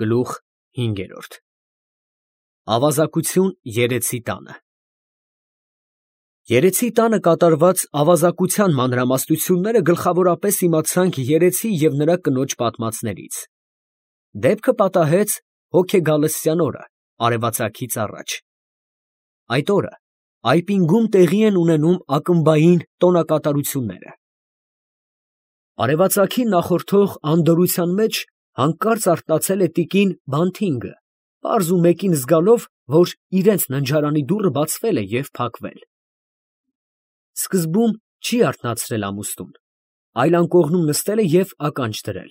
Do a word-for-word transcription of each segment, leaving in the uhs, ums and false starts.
Գլուխ հինգերորդ Ավազակություն երեցի տանը Երեցի տանը կատարված ավազակության մանրամասնությունները գլխավորապես իմացանք երեցի և նրա կնոջ պատմածներից։ Դեպքը պատահեց հոգեգալստյան օրը, արևածագից առաջ։ Այդ օրը այպինգում տեղի են ունենում ակմբային տոնակատարությունները։ Արևածագին նախորդող անդորրության մեջ հանկարծ արթնացել է տիկին Բանթինգը, պարզ ու մեկին զգալով, որ իրենց ննջարանի դուռը բացվել է և փակվել։ Սկզբում չի արթնացրել ամուսնուն, այլ անկողնում նստել է և ականջ դրել։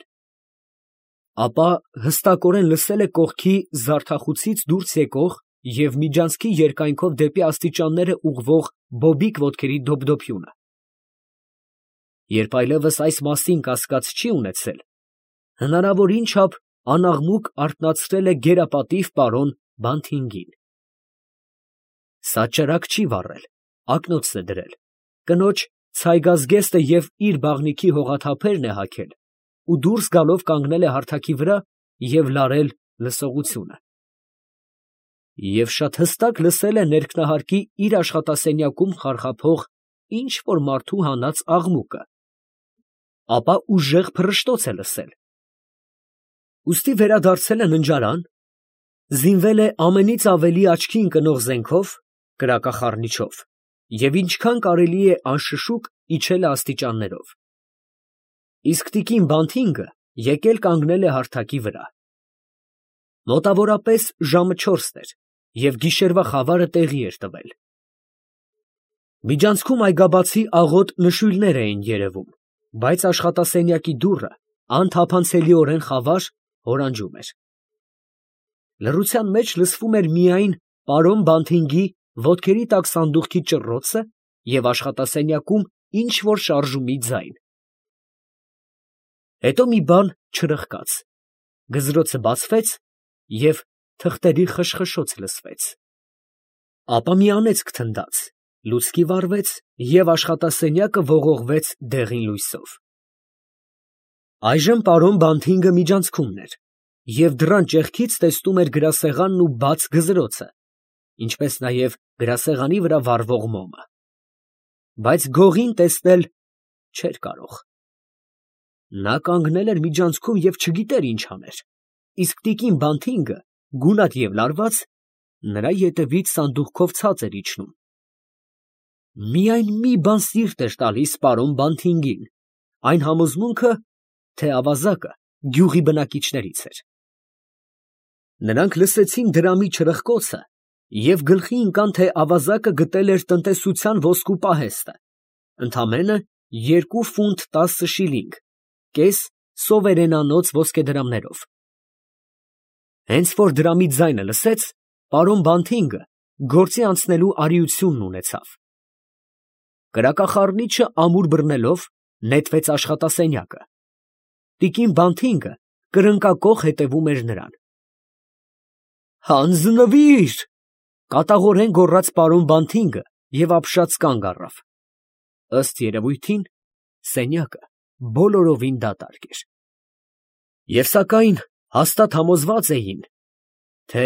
Ապա հստակորեն լսել է կողքի զարդախուցից դուրս եկող և միջանցքի երկայնքով դեպի աստիճանները ուղղվող բոբիկ ոտքերի դոփդոփյունը։ Երբ այլևս այս մասին կասկած չի ունեցել, հնարավորին չափ անաղմուկ արթնացրել է գերապատիվ պարոն Բանթինգին։ Սա ճրագ չի վառել, ակնոցս է դրել, կնոջ ցայգազգեստը և իր բաղնիքի հողաթափերն է հագել ու դուրս գալով կանգնել է հարթակի վրա և լարել լսողությունը։ Եվ շատ հստակ լսել է ներքնահարկի իր աշխատասենյակում խարխափող ինչ֊որ մարդու հանած աղմուկը, ապա ուժեղ փռշտոց է լսել։ Ուստի վերադարձել է ննջարան, զինվել է ամենից ավելի աչքի ընկնող զենքով, կրակախառնիչով, և ինչքան կարելի է անշշուկ իջել է աստիճաններով։ Իսկ տիկին Բանթինգը եկել կանգնել է հարթակի վրա։ Մոտավորապես ժամը չորսն էր, և գիշերվա խավարը տեղի էր տվել։ Միջանցքում այգաբացի աղոտ նշույլներ էին երևում, բայց աշխատասենյակի դուռը անթափանցելիորեն խավար հորանջում էր։ Լռության մեջ լսվում էր միայն պարոն Բանթինգի ոտքերի տակ սանդուղքի ճռռոցը և աշխատասենյակում ինչ֊որ շարժումի ձայն։ Հետո մի բան չրխկաց, գզրոցը բացվեց և թղթերի խշխշոց լսվեց։ Ապա մի անեծք թնդաց, լուցկի վառվեց և աշխատասենյակը ողողվեց դեղին լույսով։ Այժմ պարոն Բանթինգը միջանցքումն էր և դռան ճեղքից տեսնում էր գրասեղանն ու բաց գզրոցը, ինչպես նաև գրասեղանի վրա վառվող մոմը, բայց գողին տեսնել չէր կարող։ Նա կանգնել էր միջանցքում և չգիտեր ինչ աներ, իսկ տիկին Բանթինգը, գունատ և լարված, նրա ետևից սանդուղքով ցած էր իջնում։ Միայն մի բան սիրտ էր տալիս պարոն Բանթինգին, այն համոզմունքը, թե ավազակը գյուղի բնակիչներից էր։ Նրանք լսեցին դրամի չրխկոցը և գլխի ընկան, թե ավազակը գտել էր տնտեսության ոսկու պահեստը, ընդամենը երկու ֆունտ տասը շիլինգ, կես սովերենանոց ոսկեդրամներով։ Հենց որ դրամի ձայնը լսեց, պարոն Բանթինգը գործի անցնելու արիությունն ունեցավ։ Կրակախառնիչը ամուր բռնելով, նետվեց աշխատասենյակը։ Տիկին Բանթինգը կրնկակոխ հետևում էր նրան։ «Հանձնվի՛ր», կատաղորեն գոռաց պարոն Բանթինգը և ապշած կանգ առավ։ Ըստ երևույթին, սենյակը բոլորովին դատարկ էր։ Եվ սակայն հաստատ համոզված էին, թե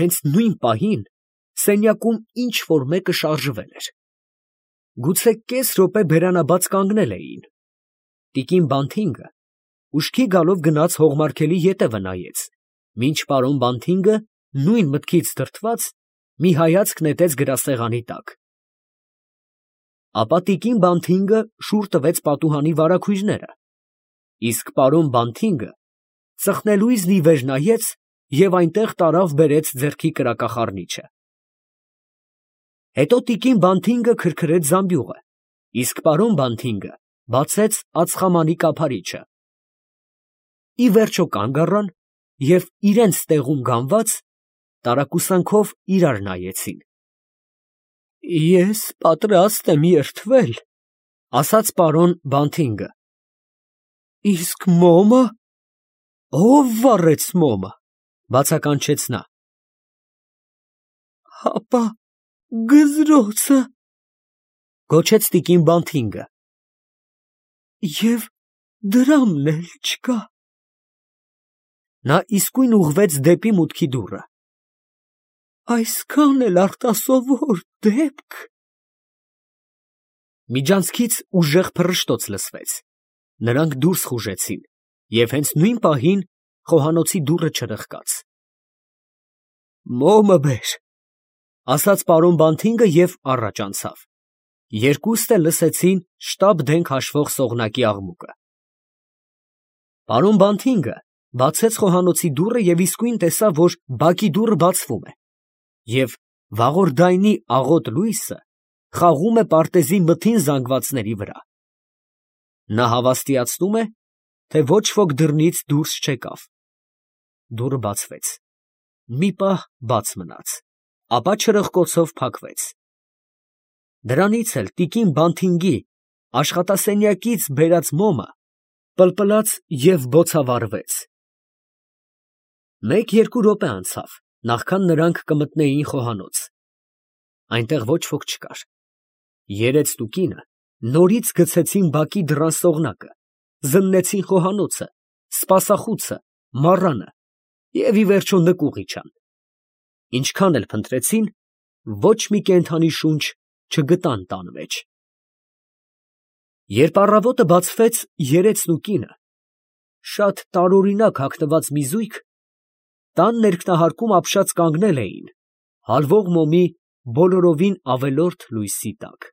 հենց նույն պահին սենյակում ինչ֊որ մեկը շարժվել էր։ Գուցե կես րոպե բերանաբաց կանգնել էին։ Տիկին Բանթինգը ուշքի գալով գնաց հողմարգելի ետևը նայեց, մինչ պարոն Բանթինգը նույն մտքից դրդված մի հայացք նետեց գրասեղանի տակ։ Ապա տիկին Բանթինգը շուռ տվեց պատուհանի վարագույրները, իսկ պարոն Բանթինգը ծխնելույզն ի վեր նայեց և այնտեղ տարավ բերեց ձեռքի կրակախառնիչը։ Հետո տիկին Բանթինգը քրքրեց զամբյուղը, իսկ պարոն Բանթինգը բացեց ածխամանի կափարիչը։ Ի վերջո կանգ առան և իրանց տեղում գանված, տարակուսանքով իրար նայեցին։ «Ես պատրաստ եմ երդվել», ֊ ասաց պարոն Բանթինգը։ «Իսկ մոմը, ո՞վ վառեց մոմը», ֊ բացականչեց նա։ «Հապա գզրոցը», ֊ գոչեց տիկին Բանթինգը։ «Եվ դրամն էլ չկա»։ Նա իսկույն ուղղվեց դեպի մուտքի դուռը։ Այսքան էլ արտասովոր դեպք… Միջանցքից ուժեղ փռշտոց լսվեց, նրանք դուրս խուժեցին, և հենց նույն պահին խոհանոցի դուռը չրխկաց։ «Մոմը բեր», ֊ ասաց պարոն Բանթինգը և առաջ անցավ։ Երկուսն էլ լսեցին շտապ դենք հաշվող սողնակի աղմուկը։ Պարոն Բանթինգը բացեց խոհանոցի դուռը և իսկույն տեսավ, որ բակի դուռը բացվում է, և վաղորդայնի աղոտ լույսը խաղում է պարտեզի մթին զանգվածների վրա։ Նա հավաստիացնում է, թե ոչ ոք դռնից դուրս չեկավ։ Դուռը բացվեց, մի պահ բաց մնաց, ապա չրպկոցով փակվեց։ Դրանից էլ տիկին Բանթինգի աշխատասենյակից բերած մոմը պլպլաց և բոցավառվեց։ Մեկ֊երկու րոպե անցավ, նախքան նրանք կմտնեին խոհանոց։ Այնտեղ ոչ ոք չկար։ Երեցն ու կինը նորից գցեցին բակի դռան սողնակը, զննեցին խոհանոցը, սպասախուցը, մառանը և, ի վերջո, նկուղ իջան։ Ինչքան էլ փնտրեցին, ոչ մի կենդանի շունչ չգտան տան մեջ։ Երբ առավոտը բացվեց, երեցն ու կինը, շատ տարօրինակ հագնված մի զույգ, տան ներքնահարկում ապշած կանգնել էին հալվող մոմի բոլորովին ավելորդ լույսի տակ։